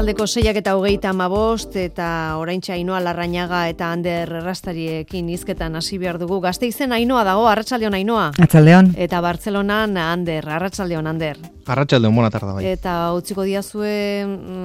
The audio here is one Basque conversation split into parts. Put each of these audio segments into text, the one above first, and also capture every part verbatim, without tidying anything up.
Arratsaldeko seiak eta hogeita hamabost eta oraintxe Ainhoa Larrañaga eta Ander Errastariekin hizketan hasi behar dugu. Gasteizen Ainhoa dago, arratsaldeon Ainhoa. Arratsaldeon. Eta Bartzelonan Ander, arratsaldeon Ander. Arratsaldeon, bona tarda bai. Eta utziko diazue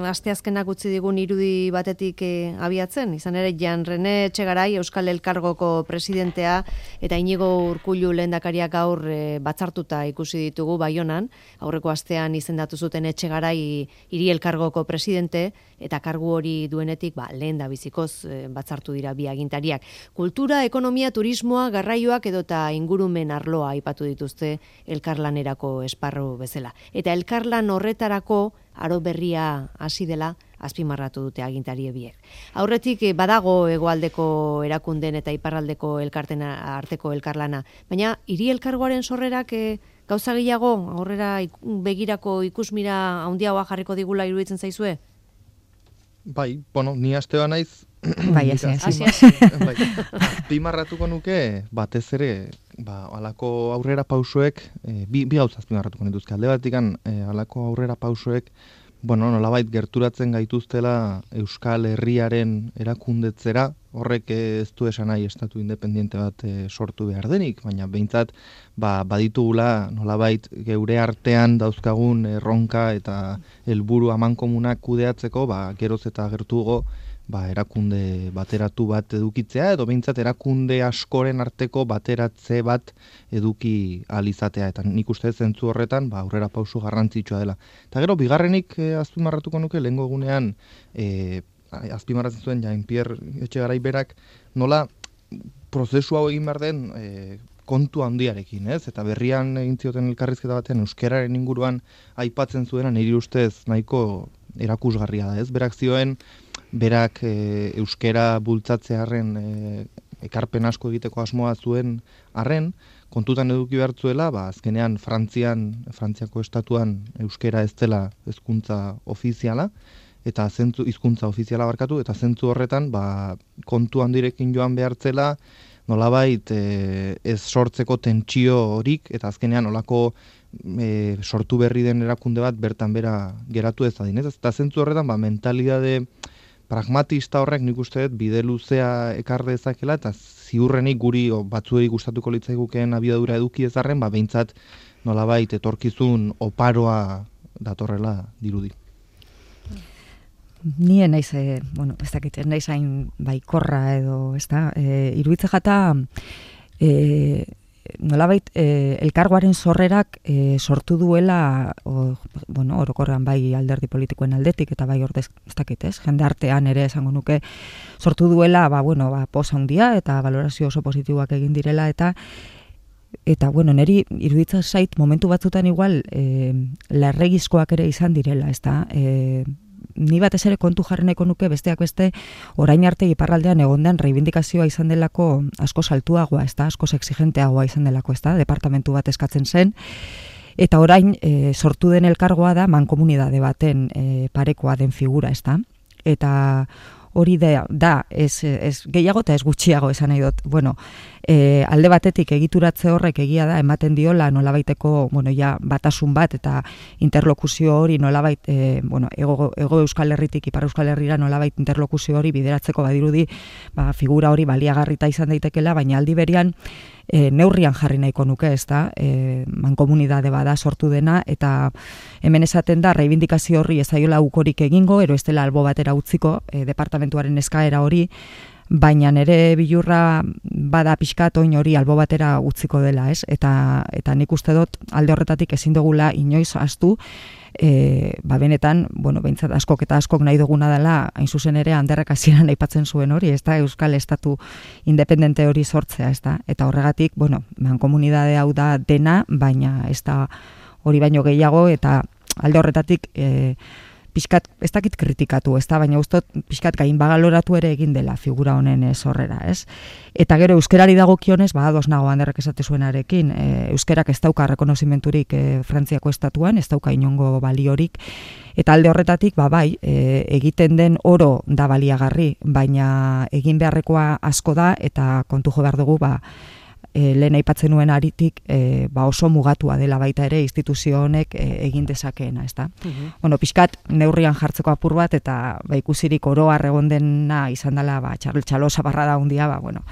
asteazkenak utzi digun irudi batetik e, abiatzen, izan ere Jan Rene Etxegarai Euskal Elkargoko presidentea eta Inigo Urkullu lehendakariak gaur e, batzartuta ikusi ditugu Baionan, aurreko astean izendatu zuten Etxegarai hiri elkargoko presidente eta kargu hori duenetik ba, lehen da bizikoz e, batzartu dira bi agintariak. Kultura, ekonomia, turismoa, garraioak edota ingurumen arloa aipatu dituzte elkarlanerako esparru bezala. Eta elkarlan horretarako aro berria hasi dela azpimarratu dute agintari biek. Aurretik badago hegoaldeko erakunden eta iparraldeko elkarten arteko elkarlana, baina hiri elkargoaren sorrerak e, gauza gehiago aurrera begirako ikusmira handiagoa jarriko digula iruditzen zaizue? Bai, bueno, ni astea naiz. Bai, hasi, hasi. Bai. Azpimarratuko nuke batez ere, ba, halako aurrera pausoek, e, bi, bi gauza azpimarratuko nituzke. Alde batikan, e, halako aurrera pausoek, bueno, nolabait gerturatzen gaituztela Euskal Herriaren erakundetzera, horrek ez du esan nahi estatu independiente bat e, sortu behar denik, baina behintzat ba, baditugula nolabait geure artean dauzkagun erronka eta helburu amankomunak kudeatzeko, ba, geroz eta gertugo ba, erakunde bateratu bat edukitzea, edo behintzat erakunde askoren arteko bateratze bat eduki alizatea, eta nik uste zentzu horretan ba, aurrera pausu garrantzitsua dela. Eta gero, bigarrenik eh, azpimarratuko nuke, lehengo egunean eh, azpimarratzen zuen Jean-Pierre Etxegarai berak, nola prozesu hau egin behar den eh, kontu handiarekin, ez? Eta berrian egin zioten elkarrizketa batean euskararen inguruan aipatzen zuena niri ustez nahiko erakusgarria da, ez? Berak zioen, berak e, euskera bultzatzearen e, ekarpen asko egiteko asmoa zuen arren, kontutan eduki behartzuela, ba, azkenean Frantzian, Frantziako estatuan euskera ez dela hizkuntza ofiziala, eta zentzu hizkuntza ofiziala barkatu, eta zentzu horretan ba, kontu handirekin joan behartzela, nolabait e, ez sortzeko tentsio horik, eta azkenean olako e, sortu berri den erakunde bat bertan bera geratu ez adin. Eta zentzu horretan ba, mentalidade pragmatista horrek nik uste dut bide luzea ekar dezakela, eta ziurrenik guri o, batzuei gustatuko litzaigukeen abiadura eduki ezarren, ba, behintzat nolabait etorkizun oparoa datorrela dirudi. Nien naiz, e, bueno, ez dakit, naiz hain baikorra edo, ez da, e, iruditze jata, e, nolabait, e, elkargoaren sorrerak e, sortu duela, o, bueno, orokorrean bai alderdi politikoen aldetik, eta bai ordez, ez dakit, ez, jende artean ere esango nuke, sortu duela, ba, bueno, ba, posa handia, eta valorazio oso positiboak egin direla, eta Eta, bueno, neri iruditza zait momentu batzutan igual e, larregizkoak ere izan direla, ez da, e, ni batez ere kontu jarri nahiko nuke besteak beste orain arte iparraldean egondan reibindikazioa izan delako asko saltuagoa, ez da, asko exigenteagoa izan delako, ez da, departamentu bat eskatzen zen, eta orain e, sortu den elkargoa da mankomunidade baten e, parekoa den figura, ez da, eta hori da, da ez, ez gehiago eta ez gutxiago esan nahi dut. Bueno, e, alde batetik egituratze horrek egia da ematen diola nolabaiteko, bueno, ja, batasun bat eta interlokuzio hori nolabait, e, bueno, ego, ego Euskal Herritik Ipar Euskal Herrira nolabait interlokuzio hori bideratzeko badirudi, ba, figura hori baliagarrita izan daitekela, baina aldi berian E, neurrian jarri nahiko nuke, ez da, e, mankomunidade bada sortu dena, eta hemen esaten da, reibindikazio horri ezaiola ukorik egingo, ero ez dela albo batera utziko, e, departamentuaren eskaera hori, baina nere bilurra bada pixkat oin hori albo batera utziko dela, ez? Eta, eta nik uste dut alde horretatik ezin dugula inoiz ahaztu, E, ba benetan, bueno, behintzat askok eta askok nahi duguna dela, hain zuzen ere Anderrek hasieran aipatzen zuen hori, ez da, Euskal Estatu independente hori sortzea, ez da, eta horregatik, bueno, mankomunidade hau da dena, baina ez da hori baino gehiago, eta alde horretatik e, pixkat, ez dakit kritikatu, ez da, baina ustot pixkat gain bagaloratu ere egin dela figura honen sorrera, ez? Eta gero euskerari dagokionez, ba, ados nago Anderrek esate zuenarekin, e, euskerak ez dauka rekonozimenturik e, Frantziako estatuan, ez dauka inongo baliorik, eta alde horretatik, ba, bai, e, egiten den oro da baliagarri, baina egin beharrekoa asko da, eta kontu jo behar dugu, ba, e, lehen aipatzen nuen aritik e, ba oso mugatua dela baita ere instituzio honek e, egin dezakeena, ezta? Uh-huh. Bueno, pixkat neurrian jartzeko apur bat eta ba ikusirik oroar egon dena izan dela ba txalosa barrada handia, ba bueno,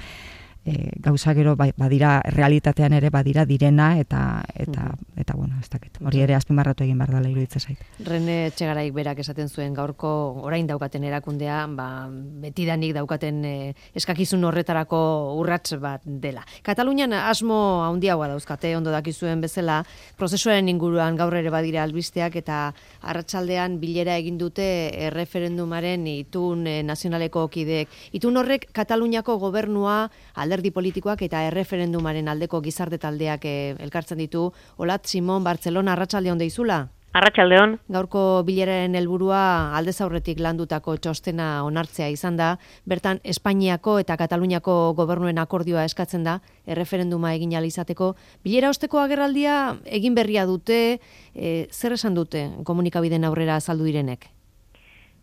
e, gauza gero ba, badira realitatean ere badira direna eta eta uh-huh. eta bueno, ez dakit. Hori ere azpimarratu egin behar dela iruditzen zait. Rene Etxegaraik berak esaten zuen gaurko orain daukaten erakundea, ba betidanik daukaten e, eskakizun horretarako urrats bat dela. Katalunian asmo handiagoa dauzkate, ondo dakizuen bezala, prozesuaren inguruan gaur ere badira albisteak eta arratsaldean bilera egin dute erreferendumaren itun e, nazionaleko kideek. Itun horrek Kataluniako gobernua, alderdi politikoak eta erreferendumaren aldeko gizarte taldeak e, elkartzen ditu. Olat Simon, Bartzelona, arratsaldeon deizula? Arratsaldeon. Gaurko bileraren helburua aldez aurretik landutako txostena onartzea izan da. Bertan Espainiako eta Kataluniako gobernuen akordioa eskatzen da erreferenduma egin ahal izateko. Bilera osteko agerraldia egin berria dute, e, zer esan dute komunikabideen aurrera azaldu direnek?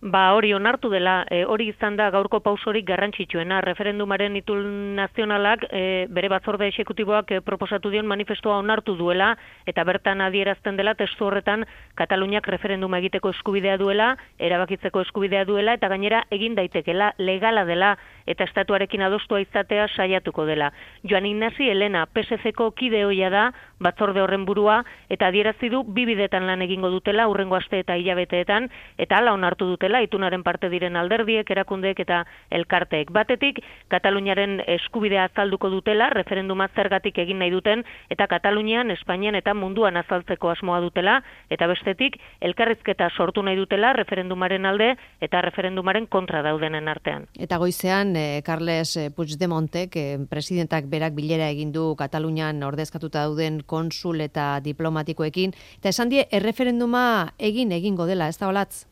Ba hori onartu dela, e, hori izan da gaurko pausorik garrantzitsuena. Referendumaren itun nazionalak e, bere batzorde exekutiboak e, proposatu dion manifestoa onartu duela eta bertan adierazten dela testu horretan Kataluniak referenduma egiteko eskubidea duela, erabakitzeko eskubidea duela eta gainera egin daitekela, legala dela eta estatuarekin adostua izatea saiatuko dela. Joan Ignasi Elena, P S C-ko kide ohia da, batzorde horren burua eta adierazi du bi bidetan lan egingo dutela hurrengo aste eta hilabeteetan eta hala onartu dutela itunaren parte diren alderdiek, erakundeek eta elkarteek. Batetik, Kataluniaren eskubidea azalduko dutela, referenduma zergatik egin nahi duten, eta Katalunian, Espainian eta munduan azaltzeko asmoa dutela, eta bestetik, elkarrizketa sortu nahi dutela, referendumaren alde eta referendumaren kontra daudenen artean. Eta goizean, eh, Carles Puigdemontek, eh, presidentak berak bilera egin du Katalunian ordezkatuta dauden konsul eta diplomatikoekin, eta esan die, erreferenduma egin egingo dela, ez da Olatz?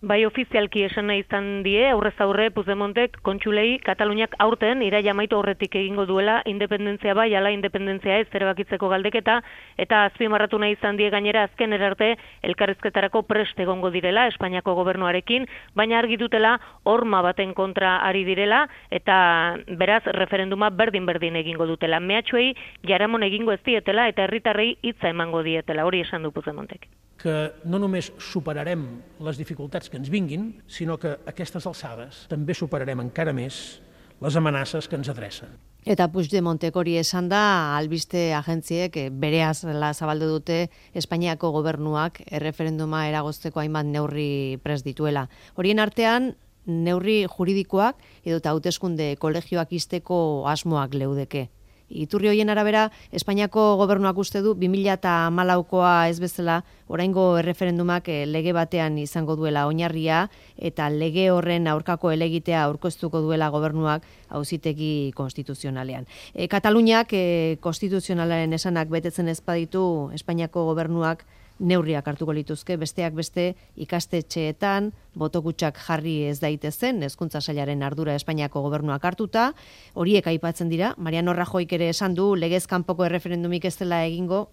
Bai ofizialki esan nahi izan die, aurrez aurre Puigdemontek kontsulei Kataluniak aurten iraila amaitu aurretik egingo duela independentzia bai, ala independentzia ez erabakitzeko galdeketa, eta azpimarratu nahi izan die gainera azken erarte elkarrizketarako prest egongo direla Espainiako gobernuarekin, baina argi dutela horma baten kontra ari direla eta beraz referenduma berdin-berdin egingo dutela. Mehatxuei jaramon egingo ez dietela eta herritarrei hitza emango dietela, hori esan du Puigdemontek. Que no només superarem les dificultats que ens vinguin, sinó que a aquestes alçades també superarem encara més les amenaces que ens adrecen. Eta Puigdemontek hori esan da, albiste agentziek bereaz la zabaldu dute Espainiako gobernuak erreferenduma eragozteko hainbat neurri prest dituela. Horien artean, neurri juridikoak edo hauteskunde kolegioak izteko asmoak leudeke. Iturri hoien arabera, Espainiako gobernuak uste du bi mila hamalaukoa ez bezala oraingo erreferendumak lege batean izango duela oinarria eta lege horren aurkako helegitea aurkeztuko duela gobernuak auzitegi konstituzionalean. E, Kataluniak e, konstituzionalaren esanak betetzen ez baditu Espainiako gobernuak neurriak hartuko lituzke, besteak beste ikastetxeetan, botokutsak jarri ez daitezen, hezkuntza sailaren ardura Espainiako gobernuak hartuta, horiek aipatzen dira, Mariano Rajoyk ere esan du legez kanpoko erreferendumik ez dela egingo.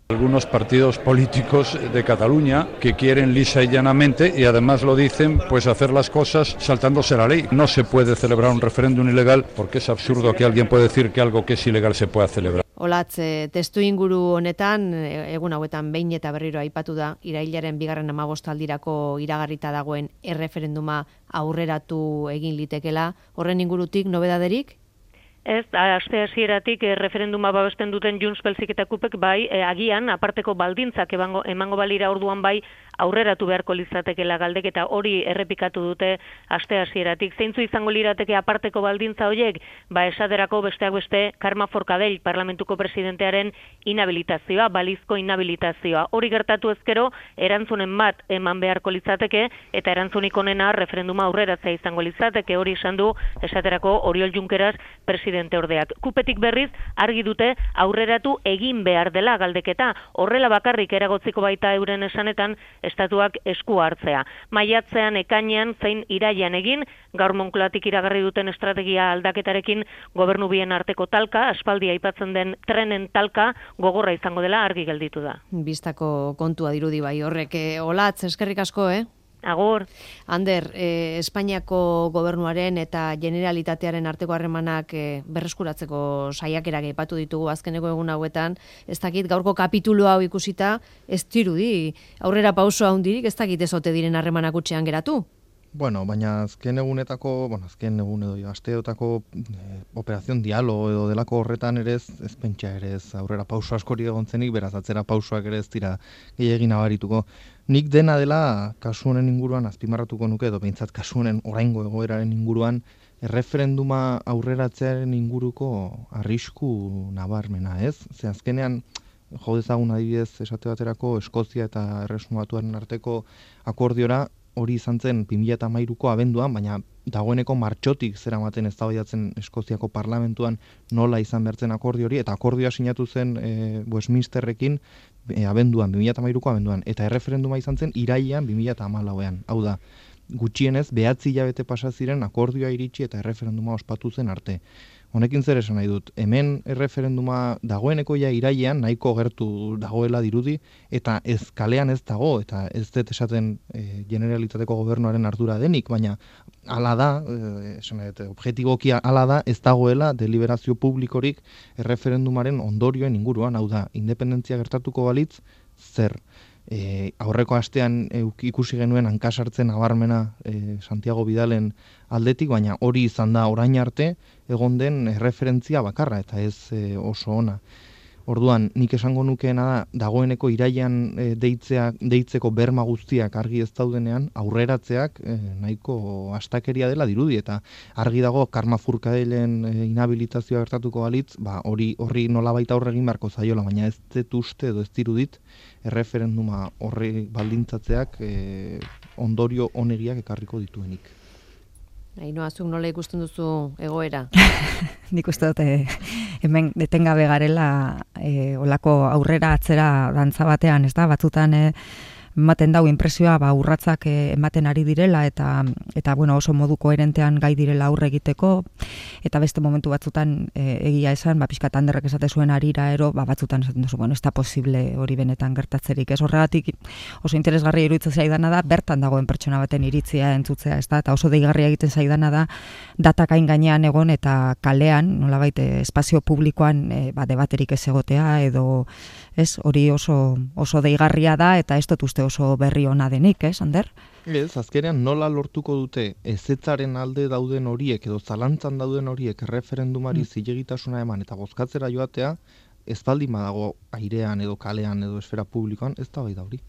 Algunos partidos políticos de Cataluña que quieren lisa y llanamente, y además lo dicen, pues hacer las cosas saltándose la ley. No se puede celebrar un referéndum ilegal porque es absurdo que alguien pueda decir que algo que es ilegal se pueda celebrar. Olatz, testu inguru honetan, egun hauetan behin eta berriro aipatu da, irailaren bigarren hamabostaldirako iragarrita dagoen erreferenduma aurreratu egin litekela. Horren ingurutik, nobedaderik? Ez, aste hasieratik e, referenduma babesten duten Junts Belzik eta Kupek bai, e, agian aparteko baldintzak emango, emango balira orduan bai aurreratu beharko litzatekela galdeketa hori errepikatu dute aste hasieratik. Zeintzu izango lirateke aparteko baldintza horiek? Ba esaterako besteak beste Karma Forcadell parlamentuko presidentearen inhabilitazioa, balizko inhabilitazioa. Hori gertatu ezkero erantzunen bat eman beharko litzateke eta erantzunik onena referenduma aurreratzea izango litzateke, hori esan du esaterako Oriol Junqueras presidente ordeak. Kupetik berriz argi dute aurreratu egin behar dela galdeketa. Horrela bakarrik eragotziko baita euren esanetan estatuak esku hartzea. Maiatzean, ekainean, zein irailean egin, gaur Moncloatik iragarri duten estrategia aldaketarekin gobernu bien arteko talka, aspaldi aipatzen den trenen talka, gogorra izango dela argi gelditu da. Bistako kontua dirudi bai horrek. Olatz, eskerrik asko, eh? Agur. Ander, eh, Espainiako gobernuaren eta Generalitatearen arteko harremanak eh, berreskuratzeko saiakerak aipatu ditugu azkeneko egun hauetan, ez dakit gaurko kapitulu hau ikusita, ez dirudi aurrera pauso handirik, ez dakit ez ote diren harremanak utxean geratu. Bueno, baina azken egunetako, bueno, azken egun edo asteotako eh, operazion diálogo edo delako horretan ere ez, ez pentsa ere ez aurrera pauso askori egontzenik, beraz atzera pausoak ere ez dira gehiagin abarituko. Nik dena dela kasu honen inguruan azpimarratuko nuke edo behintzat kasu honen oraingo egoeraren inguruan erreferenduma aurreratzearen inguruko arrisku nabarmena, ez? Ze azkenean jo dezagun adibidez esate baterako Eskozia eta Erresuma Batuaren arteko akordiora hori izan zen bi mila hamairuko abenduan, baina dagoeneko martxotik zeramaten eztabaidatzen Eskoziako parlamentuan nola izan bertzen akordio hori, eta akordioa sinatu zen e, Westminsterrekin e, abenduan, bi mila hamairuko abenduan, eta erreferenduma izan zen irailean bi mila hamalauean. Hau da, gutxienez, behatzi hilabete pasa ziren akordioa iritsi eta erreferenduma ospatu zen arte. Honekin zer esan nahi dut, hemen erreferenduma dagoeneko ja irailean nahiko gertu dagoela dirudi, eta ez kalean ez dago, eta ez dut esaten e, Generalitateko gobernuaren ardura denik, baina hala da, e, esan nahi dut, objetibokia hala da, ez dagoela deliberazio publikorik erreferendumaren ondorioen inguruan, hau da, independentzia gertatuko balitz, zer? E, aurreko astean e, ikusi genuen hankasartzen nabarmena e, Santiago Bidalen aldetik, baina hori izan da orain arte egon den erreferentzia bakarra eta ez e, oso ona. Orduan, nik esango nukeena da, dagoeneko irailean e, deitzea, deitzeko berma guztiak argi ez daudenean, aurreratzeak e, nahiko astakeria dela dirudi, eta argi dago Karma Furkadelen e, inhabilitazioa gertatuko balitz, ba, hori horri nolabait aurre egin beharko zaiola, baina ez dut uste edo ez dirudit erreferenduma horri baldintzatzeak e, ondorio onegiak ekarriko dituenik. Ainhoa, zuk nola ikusten duzu egoera? Nik uste dut hemen detengabe garela e, olako aurrera atzera dantza batean, ez da, batzutan e, ematen dau inpresioa ba urratsak e, ematen ari direla eta eta bueno, oso modu koherentean gai direla aurre egiteko, eta beste momentu batzutan e, egia esan, ba pixkat Anderrek esate zuen arira ero, ba batzutan esaten duzu, bueno, ez da posible hori benetan gertatzerik. Ez horregatik oso interesgarria iruditzen zaidana da bertan dagoen pertsona baten iritzia entzutzea, ez da, eta oso deigarria egiten zaidana da datak hain gainean egon eta kalean, nolabait espazio publikoan e, ba debaterik ez egotea edo ez, hori oso oso deigarria da eta ez dut uste oso berri ona denik, ez, Ander? Ez, azkenean nola lortuko dute ezetzaren alde dauden horiek edo zalantzan dauden horiek erreferendumari mm. zilegitasuna eman eta bozkatzera joatea, ez baldin badago airean edo kalean edo esfera publikoan, ez da bai da hori.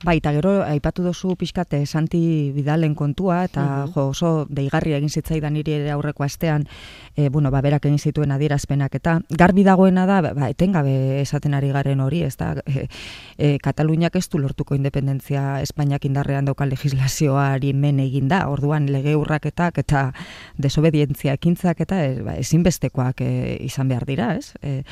Bai, eta gero, aipatu duzu pixkate Santi Bidalen kontua, eta uh-huh. jo, oso deigarria egin zitzaidan niri ere aurreko astean, e, bueno, ba, berak egin zituen adierazpenak, eta garbi dagoena da, ba, etengabe esaten ari garen hori, ez da, e, e, Kataluniak ez du lortuko independentzia Espainiak indarrean dauka legislazioari men egin da, orduan lege urraketak eta desobedientzia ekintzak eta e, ba, ezinbestekoak e, izan behar dira, ez? E,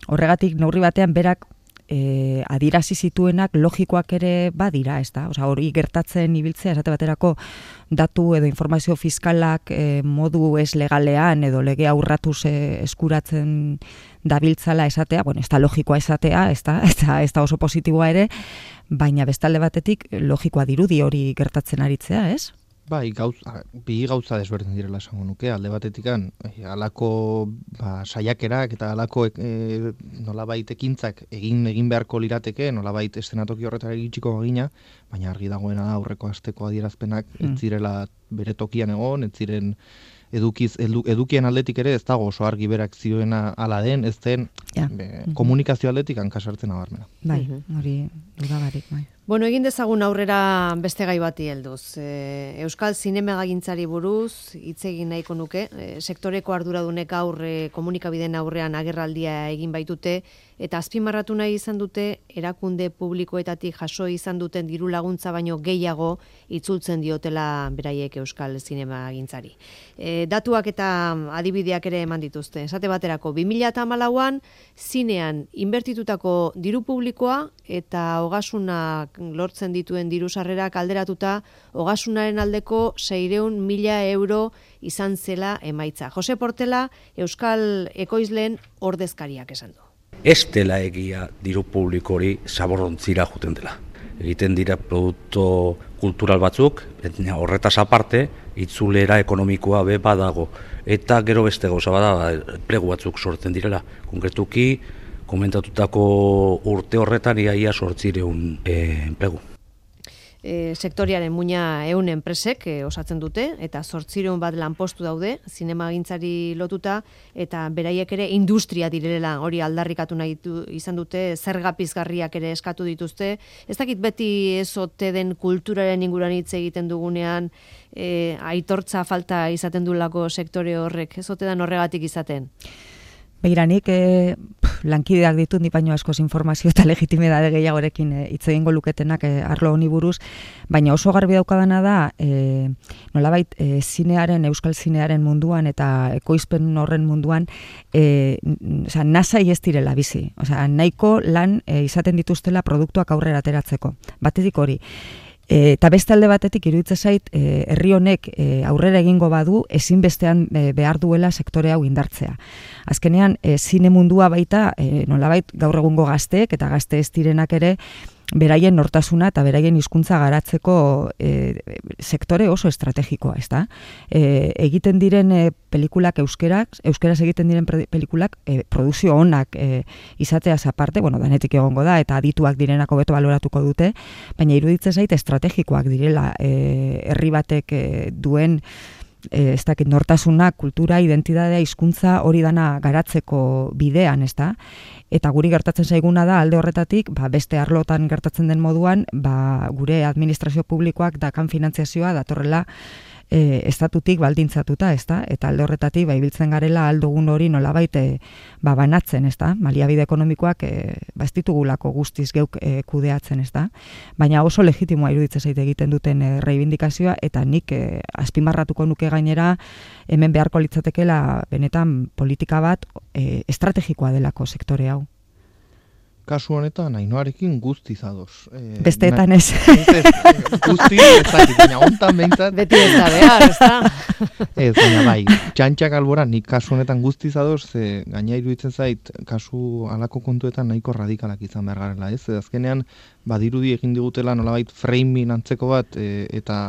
horregatik, neurri batean berak E, adirazi zituenak logikoak ere badira, ez da? Osea, hori gertatzen ibiltzea, esate baterako datu edo informazio fiskalak e, modu ez legalean edo legea urratuz e, eskuratzen dabiltzala esatea, bueno, ez da logikoa esatea, ez da, ez da, ez da oso positiboa ere, baina bestalde batetik logikoa dirudi hori gertatzen aritzea, ez? Bai, gauz, bi gauza desberdin direla esango nuke, alde batetikan, eh, alako ba, saiakerak eta alako eh, nolabait ekintzak egin egin beharko lirateke, nolabait eszenatoki horretara iritsiko bagina, baina argi dagoena da aurreko asteko adierazpenak mm. ez zirela bere tokian egon, ez ziren edukiz, edu, edukien aldetik ere ez dago oso argi berak zioena ala den, ez den ja. be, mm-hmm. komunikazio aldetik hankasartzen abarmena. Bai, hori dudabarik, bai. Bueno, egin dezagun aurrera beste gai bati helduz. E, Euskal zinemagagintzari buruz hitz egin nahiko nuke. E, sektoreko arduradunek gaur e, komunikabideen aurrean agerraldia egin baitute eta azpimarratu nahi izan dute erakunde publikoetatik jaso izan duten diru laguntza baino gehiago itzultzen diotela beraiek Euskal zinemagagintzari. E, datuak eta adibideak ere eman dituzte. Esate baterako bi mila hamalauan zinean inbertitutako diru publikoa eta ogasunak lortzen dituen diru sarrerak alderatuta ogasunaren aldeko seiehun mila euro izan zela emaitza. Jose Portela, Euskal ekoizleen ordezkariak esan du. Ez dela egia diru publiko hori zaborrontzira juten dela. Egiten dira produktu kultural batzuk, horretaz aparte, itzulera ekonomikoa be badago. Eta gero beste gauza bada, enplegu batzuk sortzen direla. Konkretuki, komentatutako urte horretan iaia sortzireun e, enplegu. E, sektoriaren muina ehun enpresek e, osatzen dute, eta zortzireun bat lanpostu daude, zinemagintzari lotuta, eta beraiek ere industria direla hori aldarrikatu nahi du, izan dute, zerga pizgarriak ere eskatu dituzte. Ez dakit beti ez ote den kulturaren inguruan hitz egiten dugunean, e, aitortza falta izaten dulako sektore horrek, ez ote den horregatik izaten? Beiranik, e, lankideak ditut ni baino askoz informazio eta legitimidade gehiagorekin hitz e, egingo luketenak e, arlo honi buruz, baina oso garbi daukadana da, e, nolabait e, zinearen, euskal zinearen munduan eta ekoizpen horren munduan, e, osea, nasai ez direla bizi. Osea, nahiko lan e, izaten dituztela produktuak aurrera ateratzeko. Batetik hori. E, eta beste alde batetik iruditzen zait e, herri honek e, aurrera egingo badu ezinbestean e, behar duela sektore hau indartzea. Azkenean e, zine mundua baita e, nolabait gaur egungo gazteek eta gazte ez direnak ere beraien nortasuna eta beraien hizkuntza garatzeko e, sektore oso estrategikoa, ezta? E, egiten diren e, pelikulak euskerak, euskeraz egiten diren pelikulak e, produzio onak e, izateaz aparte, bueno, danetik egongo da eta adituak direnako beto baloratuko dute, baina iruditzen zait estrategikoak direla e, herri batek e, duen E, ez dakit, nortasuna, kultura, identitatea, hizkuntza hori dana garatzeko bidean, ez da? Eta guri gertatzen zaiguna da, alde horretatik, ba, beste arlotan gertatzen den moduan, ba, gure administrazio publikoak dakan finantziazioa datorrela e, estatutik baldintzatuta, ez da? Eta alde horretatik, ba, ibiltzen garela aldugun hori nolabait e, ba, banatzen, ez da? Baliabide ekonomikoak e, ba, ez ditugulako guztiz geuk e, kudeatzen, ez da? Baina oso legitimoa iruditzen zait egiten duten e, reibindikazioa, eta nik e, azpimarratuko nuke gainera hemen beharko litzatekeela benetan politika bat e, estrategikoa delako sektore hau. Kasu honetan, Ainoarekin guztiz ados. E, Besteetan ez. Guztiz, ez dakit, baina hontan behintzat. Beti ez da behar, ez da? Ez, baina bai, txantxak albora, nik kasu honetan guztiz ados, ze gaina iruditzen zait, kasu alako kontuetan nahiko radikalak izan behar garela, ez? Azkenean, badirudi egin digutela nolabait framing antzeko bat, e, eta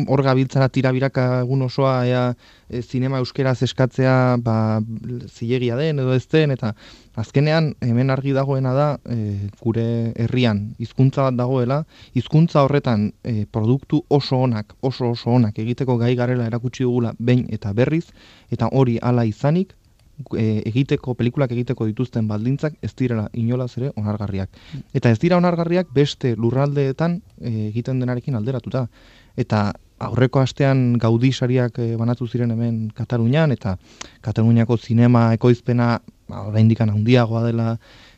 hor gabiltzara tirabiraka egun osoa ea e, zinema euskeraz eskatzea ba, zilegia den edo ez den, eta azkenean hemen argi dagoena da e, gure herrian hizkuntza bat dagoela, hizkuntza horretan e, produktu oso onak, oso oso onak egiteko gai garela erakutsi dugula behin eta berriz, eta hori hala izanik, e, egiteko, pelikulak egiteko dituzten baldintzak ez direla inolaz ere onargarriak. Eta ez dira onargarriak beste lurraldeetan e, egiten denarekin alderatuta. Eta aurreko astean Gaudí sariak e, banatu ziren hemen Katalunian, eta Kataluniako zinema ekoizpena oraindik handiagoa dela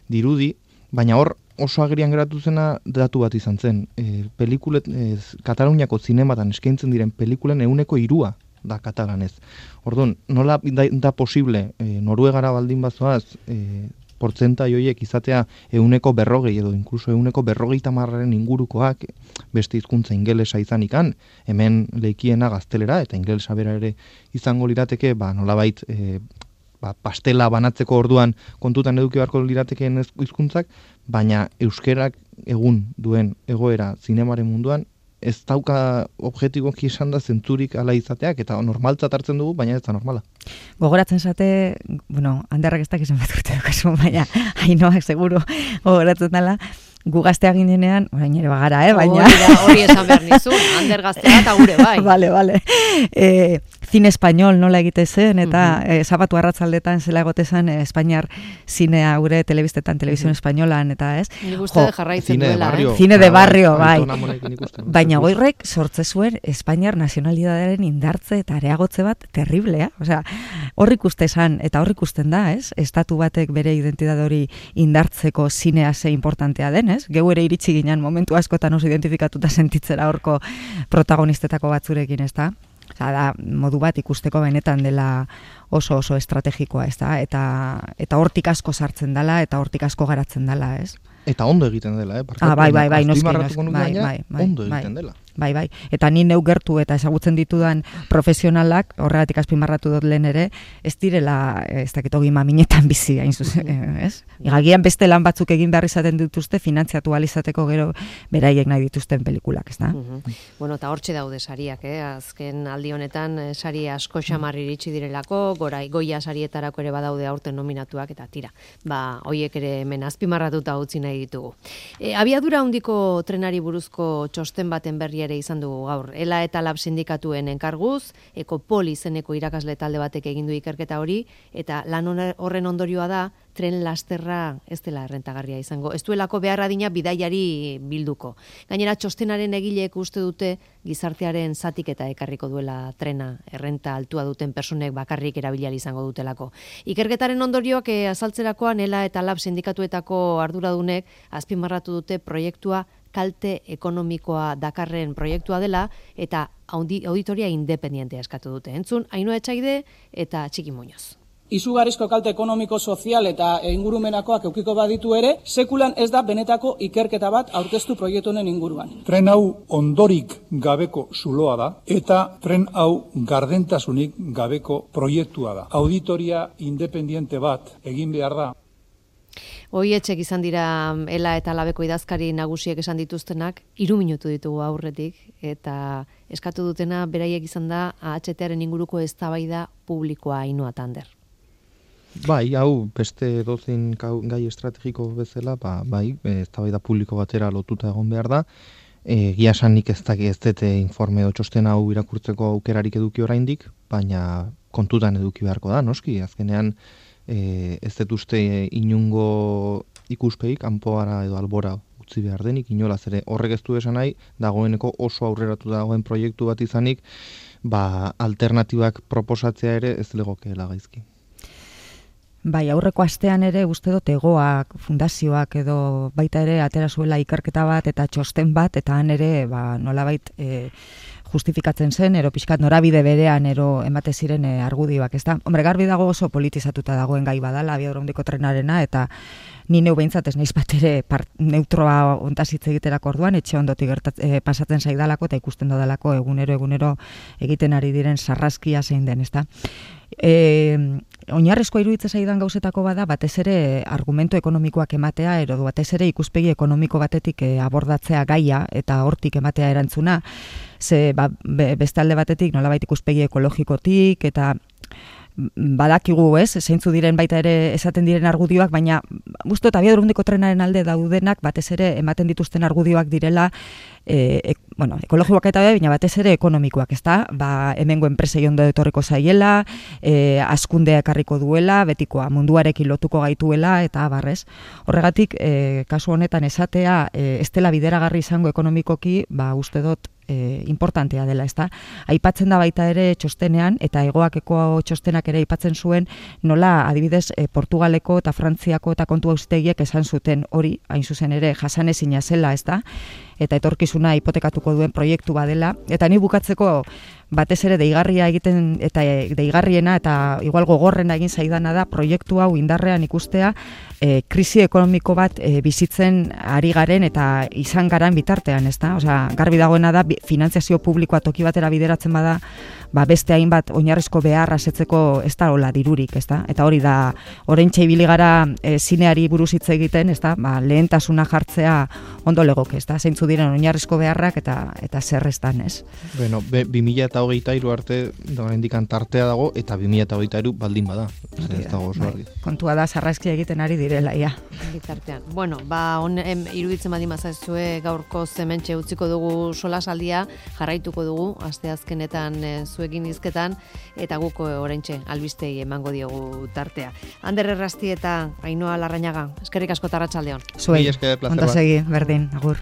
dirudi, baina hor oso agerian geratu zena datu bat izan zen. E, pelikulet, e, Kataluniako zinematan eskaintzen diren pelikulen ehuneko hirua da katalanez. Orduan, nola da, da posible e, Noruegara baldin bazoaz, e, portzentai horiek izatea ehuneko berrogei edo inkluso ehuneko berrogeita hamarren ingurukoak beste hizkuntza ingelesa izanikan, hemen leikiena gaztelera eta ingelesa bera ere izango lirateke, ba nolabait e, ba, pastela banatzeko orduan kontutan eduki beharko liratekeen hizkuntzak, baina euskerak egun duen egoera zinemaren munduan ez dauka objetiboki esan da zentzurik ala izateak, eta normaltzat hartzen dugu, baina ez da normala. Gogoratzen zate, bueno, handerrak ez dakizan bat urte dukazu, baina Ainoak seguro gogoratzen dela, gu gaztea ginenean, orain ere bagara, eh, baina... Hori esan behar nizun, Ander gaztea eta gure bai. Vale, vale. E, zine espainol nola egite zen, eta uh -huh. e, sabatu arratzaldetan zela egotezan e, Espainiar zinea gure telebistetan, telebizion uh -huh. espainolan, eta ez? Nik uste jarraitzen duela, eh? Zine de barrio, bai. Baina goirrek sortze zuen Espainiar nazionalidadearen indartze eta areagotze bat terriblea. Osea, hor ikuste esan, eta hor ikusten da, ez? Estatu batek bere identitate hori indartzeko zinea ze importantea den, ez? Geu ere iritsi ginen momentu askotan oso identifikatuta sentitzera horko protagonistetako batzurekin, ez da? Osa, da, modu bat ikusteko benetan dela oso oso estrategikoa, ez da? Eta, eta hortik asko sartzen dela, eta hortik asko garatzen dela, ez? Eta ondo egiten dela, eh? Ah, bai, bai, bai, noski, noski, bai, bai, bai, ondo bai, egiten dela. Bai, bai. Eta ni neu gertu eta ezagutzen ditudan profesionalak, horregatik azpimarratu dut lehen ere, ez direla, ez dakit ogi maminetan bizi, hain zuzen, ez? Igagian beste lan batzuk egin behar izaten dituzte, finantziatu alizateko gero beraiek nahi dituzten pelikulak, ez da? Bueno, eta hortxe daude sariak, eh? Azken aldi honetan, sari asko xamar iritsi direlako, gorai, goia sarietarako ere badaude aurten nominatuak, eta tira, ba, hoiek ere hemen azpimarratuta utzi nahi ditugu. E, abiadura handiko trenari buruzko txosten baten berri ere izan dugu gaur. Ela eta Lab sindikatuen enkarguz, Ekopol izeneko irakasle talde batek egin du ikerketa hori, eta lan horren ondorioa da, tren lasterra ez dela errentagarria izango. Ez duelako behar adina bidaiari bilduko. Gainera, txostenaren egileek uste dute gizartearen zatik eta ekarriko duela trena, errenta altua duten personek bakarrik erabiliari izango dutelako. Ikerketaren ondorioak eh, azaltzerakoan Ela eta Lab sindikatuetako arduradunek azpimarratu dute proiektua kalte ekonomikoa dakarren proiektua dela eta auditoria independientea eskatu dute. Entzun, Ainhoa Etxaide eta Txiki Muñoz. Izugarrizko kalte ekonomiko, sozial eta ingurumenakoak eukiko baditu ere, sekulan ez da benetako ikerketa bat aurkeztu proiektu honen inguruan. Tren hau ondorik gabeko zuloa da eta tren hau gardentasunik gabeko proiektua da. Auditoria independiente bat egin behar da. Hoietxek izan dira Ela eta Labeko idazkari nagusiek esan dituztenak, hiru minutu ditugu aurretik, eta eskatu dutena beraiek izan da A H T-aren inguruko eztabaida publikoa Ainhoa Tander. Bai, hau beste dozein gai estrategiko bezala, ba, bai, eztabaida publiko batera lotuta egon behar da. E, Gia esan nik ez daki ez dute informe edo txosten hau irakurtzeko aukerarik eduki oraindik, baina kontutan eduki beharko da, noski, azkenean e, ez dut uste inungo ikuspegi kanpoara edo albora utzi behar denik, inolaz ere horrek ez du esan nahi, dagoeneko oso aurreratu dagoen proiektu bat izanik, ba, alternatibak proposatzea ere ez legokeela gaizki. Bai, aurreko astean ere uste dut Egoak, fundazioak edo baita ere atera zuela ikerketa bat eta txosten bat, eta han ere ba, nolabait e, justifikatzen zen, ero pixkat norabide berean ero emate ziren e, argudioak, ez da? Hombre, garbi dago oso politizatuta dagoen gai badala, abiadura handiko trenarena, eta ni neu behintzat ez naiz bat ere part, neutroa ontazitz egiterako orduan, etxe ondotik gertat, e, pasatzen zaidalako eta ikusten dodalako egunero egunero egiten ari diren sarraskia zein den, ez da? E, oinarrezko iruditza zaidan gauzetako bada, batez ere argumento ekonomikoak ematea, edo batez ere ikuspegi ekonomiko batetik e, abordatzea gaia eta hortik ematea erantzuna, ze ba, be, beste alde batetik nolabait ikuspegi ekologikotik eta badakigu, ez, zeintzu diren baita ere esaten diren argudioak, baina gustu eta abiadura handiko trenaren alde daudenak batez ere ematen dituzten argudioak direla e, e, bueno, ekologikoak eta baina batez ere ekonomikoak, ezta? Ba, hemengo enpresei ondo etorriko zaiela, e, hazkundea ekarriko duela, betikoa munduarekin lotuko gaituela eta barrez. Horregatik, e, kasu honetan esatea e, ez dela bideragarri izango ekonomikoki, ba uste dut E, importantea dela, ezta? Aipatzen da baita ere txostenean, eta Egoakeko txostenak ere aipatzen zuen, nola adibidez e, Portugaleko eta Frantziako eta kontu auzitegiek esan zuten hori, hain zuzen ere jasanezina zela, ezta? Eta etorkizuna hipotekatuko duen proiektu badela, eta ni bukatzeko batez ere deigarria egiten eta deigarriena eta igual gogorrena egin zaidana da proiektu hau indarrean ikustea e, krisi ekonomiko bat e, bizitzen ari garen eta izan garan bitartean, ezta? Osea, garbi dagoena da finantziazio publikoa toki batera bideratzen bada, ba beste hainbat oinarrizko beharra asetzeko ez da hola dirurik, ezta? Eta hori da oraintxe ibili gara e, zineari buruz hitz egiten, ezta? Ba, lehentasuna jartzea ondo legoke, ezta? Zeintzu diren oinarrizko beharrak eta eta zer estan, ez? Bueno, bi mila hogeita hiru arte oraindik tartea dago eta bi mila hogeita hiru baldin bada. Ez dago oso argi. Kontua da sarraskia egiten ari direla ia. Bitartean. Bueno, ba on iruditzen badi mazazue gaurko hementxe utziko dugu solasaldia, jarraituko dugu asteazkenetan e, zuekin hizketan eta guk oraintxe albistei emango diogu tartea. Ander Errasti eta Ainhoa Larrañaga, eskerrik asko ta arratsaldeon. Zuei, ondo segi, berdin, agur.